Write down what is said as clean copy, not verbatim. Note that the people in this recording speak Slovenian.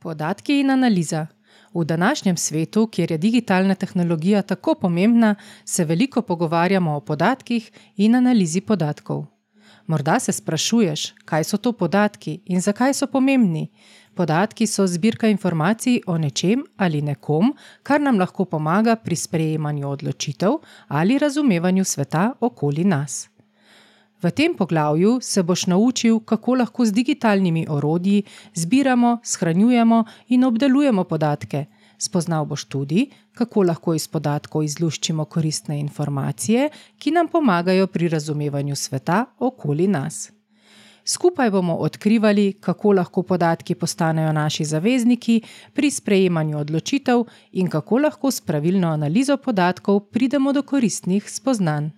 Podatki in analiza. V današnjem svetu, kjer je digitalna tehnologija tako pomembna, se veliko pogovarjamo o podatkih in analizi podatkov. Morda se sprašuješ, kaj so to podatki in zakaj so pomembni. Podatki so zbirka informacij o nečem ali nekom, kar nam lahko pomaga pri sprejemanju odločitev ali razumevanju sveta okoli nas. V tem poglavju se boš naučil, kako lahko z digitalnimi orodji zbiramo, shranjujemo in obdelujemo podatke. Spoznal boš tudi, kako lahko iz podatkov izluščimo koristne informacije, ki nam pomagajo pri razumevanju sveta okoli nas. Skupaj bomo odkrivali, kako lahko podatki postanejo naši zavezniki pri sprejemanju odločitev in kako lahko s pravilno analizo podatkov pridemo do koristnih spoznanj.